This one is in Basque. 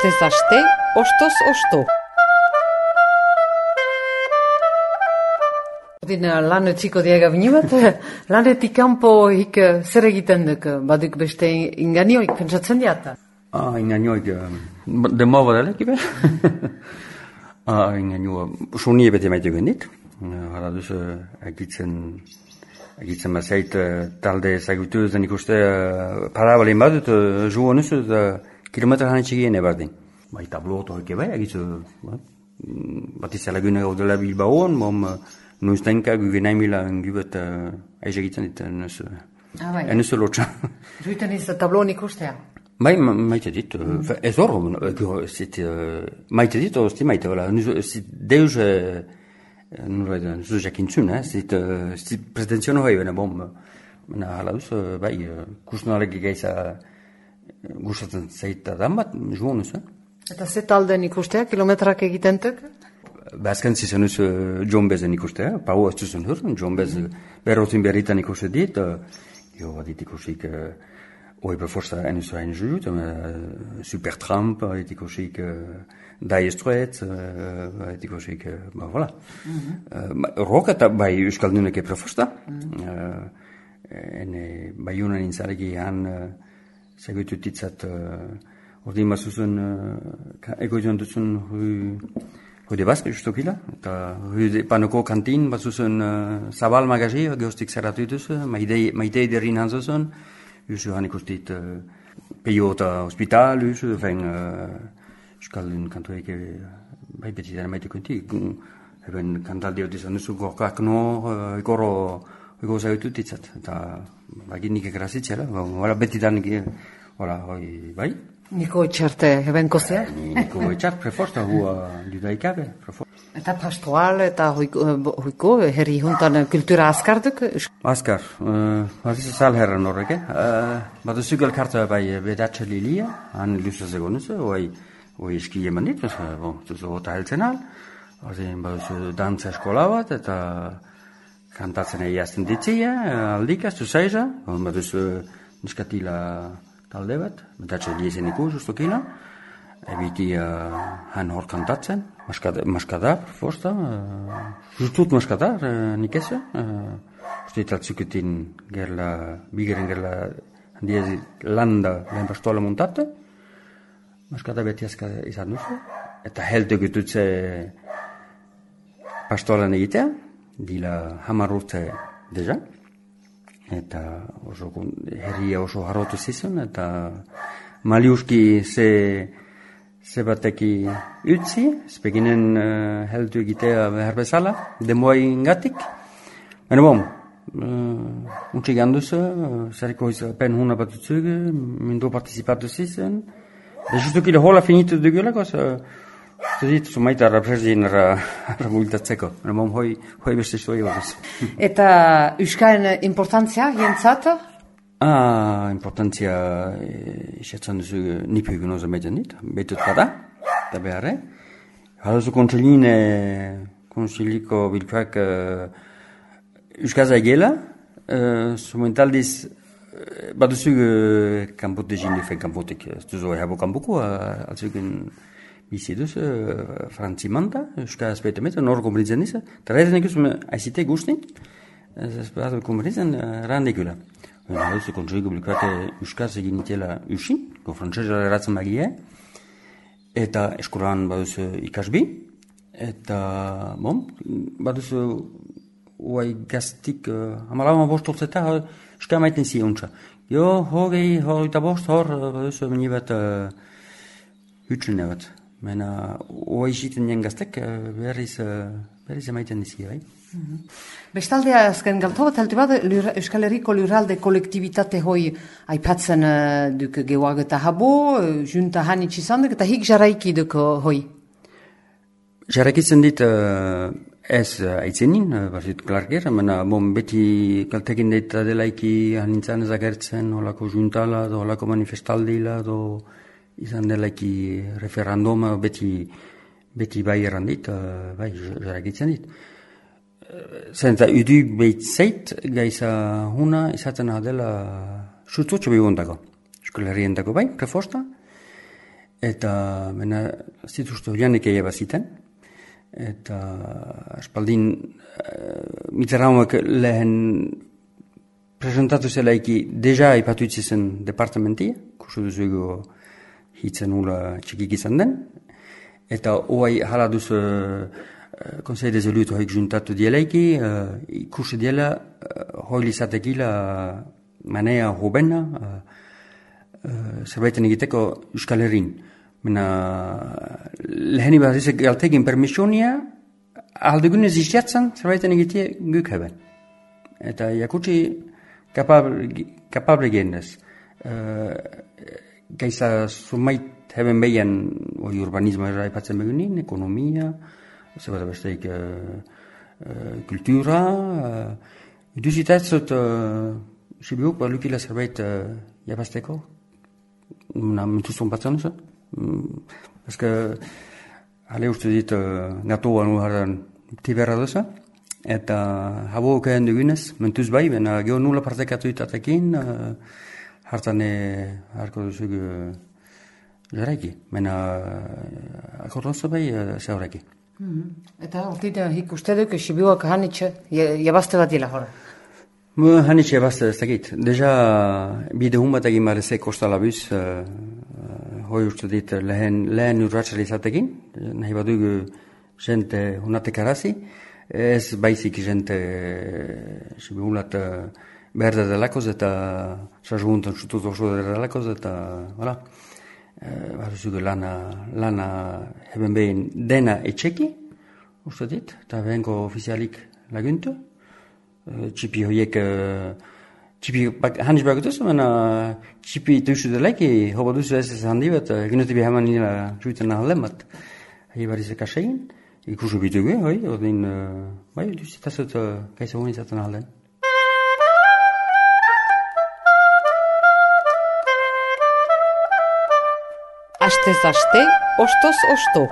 Astez aste, ostoz osto. Lan etziko diaga bini bat, lanetik kanpo hik zer egiten duk, baduk beste inganioik pentsatzen diata? Inganioik, demo badalek ibe? Inganioa, sunie bete maite gendit, hala duz, egitzen bazait talde zagutu zen ikuste parabalin badut, jugo nuzu, kilometra hanetxigien ebardin. Bai, tablo otorik bai, egitzu, bat izalagune gaudela Bilbaoan, noiztenka gugenaimila gubet aiz egiten dit, enuzu lotxa. Zuiten iz tabloan ikustea? Bai, maite dit, ez horro, maite dit, ozti maite, deus, nuzu jakintzun, zit pretentziono hoi, bena hala duz, bai, kusnalek geiza gustatzen zaita dan bat, juon nuzu. Eta ze talden ikustea, kilometrak egitentuk? Azken zizan uz John Bezen ikustea, pau ez zuzun hur, John Bez berrotin berritan ikuste dit, jo badit ikusik oi beforsta enus hain jut, Supertramp, badit ikusik Dire Straits, badit ikusik, voilà. Rock eta bai euskalduneke preforsta, bai unan intzareki han segutut ditzat, ordin bazuzun, egoizuan duzun Hode Baske justokila, eta panoko kantin bazuzun zabal magazi, geostik zerratu duz, maitei derrin hanzuzun, juzu han ikustit peio eta hospital, juzu, euskaldun kantuek bai beti dara maite kunti, eben kantaldi hori dizan duzu gorkak no, ego zaitu ditzat, eta bagin nik ekrazitzela, beti dan bai. Niko etxarte ebenko zea? Niko etxart preforsta, hua judaikabe. Eta pastoral eta hoiko herri juntan kultura askarduk? Askar, bat ez alherran horrek, bat ez zugal karta bai bedatxe lilia, han lusa zegonuz, hoi eski eman dit, zuzo gota heltzen al, bat ez dantza eskola bat, eta kantatzen egiazten ditzia, aldikaz, zuzaiza, bat ez niskatila talde bat, betatxe liezen ikus, ustokila, ebiti han hor kantatzen, maskadar, forsta, justut maskadar, nik ez, uste taltzuketin gerla, bigeren gerla, handiezi landa lehen pastola montate, maskadar beti azka izan duzu, eta helte gututze pastolan egitea, dila 10 urte deja, eta herria oso harrotu zizun, eta maliuski ze bateki utzi, speginen heldu egitea behar bezala, demoa ingatik. Baina untxik handuz, zeriko pen huna bat utzug, mindu participatu zizun. Justukile hola finitu dugulako, zuzit, sumaita rapresdin bultatzeko. Baina hoi beste zoi horrez. Eta euskaren importantzia, jentzat? Importantzia, isatzen duzu nipu egun oza meiten dit, betut bada, eta beharre. Halazu konsiliko bilkuak euskaza egela, sumentaldiz, baduzu kanpote jindifen kanpotek, ez duzu ehabo kanpoko, altzuken bizi duz, frantzimanta, euskaz betemet, nor komplitzen izan, eta raizen ekuz aizite guztin, ez behar komplitzen randekula. Hauzu kontseigo bilkuate euskaz egin itela usin, frantzesera eratzen bagie, eta eskolan baduzu ikasbi, eta baduzu uai gaztik, amalama bostortzeta, euskal maiten ziontza. Jo, hogeita bost, baduzu meni bat hutsun bat. Mena, uai ziten nien gaztek, berriz emaiten dizi, bai? Bestaldea azken galto bat altu bat, Euskal Herriko lurralde kolektibitate hoi aipatzen duk gehuag eta habo, junta hanitz izan duk, eta hik jarraiki duk hoi? Jarraikitzen dit ez aitzenin, barzit klarger, mena beti kaltekin deita delaiki hanintzan ezagertzen, holako juntala, holako manifestaldila, izan delaiki referenduma, beti bai errandit, bai jarraikitzen dit. Zenta, udu behitzeit gaiza huna izaten adela sustutxo behundako. Eskola herrientako bai, prefosta. eta mena zituzte horianek ega baziten, eta aspaldin Mitterrandek lehen presentatu zelaiki deja ipatu itzizen departamentia, kursu duzugu hitzen hula txikik izan den, eta hoai hala duz Conseil des élus hoik juntatu dielaiki, ikusi diela hoi izatekila manea hobena zerbaiten egiteko Euskal Herrin. Mena leheni bat izek galtegin permisionia aldegunez izjatzen zerbaiten egitea guk heben. Eta jakutsi kapable genez. Gaiza sumait heben behian urbanismo erraipatzen begunin, ekonomia, zebat besteik kultura, duzitatzot sibiuk balukila zerbait jabazteko. Mentuzun batzen oso. Eske, hale uste dit gatoan uhardan tiberra doza. Eta habo okaen dugunez, mentuz bai, bena geho nula partekatu itatekin, hartane harko duzuk jarraiki. Bena akordonzo bai zehaureki. Eta hortit hik uste duk sibiuak hanitxe jabazte bat dila hor? Hanitxe jabazte ez dakit. Deja bide hun bat egin barezek kostala buz, hoi uste dit lehen urratxal izatekin, nahi badug jente hunatek arazi, ez baizik jente sibiulat berda delakoz eta sarjuntan sutuz oso delakoz eta voilà. Baruzugu lana heben behin dena etxeki, uste dit, eta behenko ofizialik laguntu. Txipi horiek, txipi handiz bakutuz, baina txipi duzu delaiki, hoba duzu ez handi bat, ginotibi heman nila juiten nahalen bat. Hei barizek asein, ikusu bitugu, hoi, ordin, bai, duzitazut gaisa honi zaten nahalen. Astez aste, ostoz osto.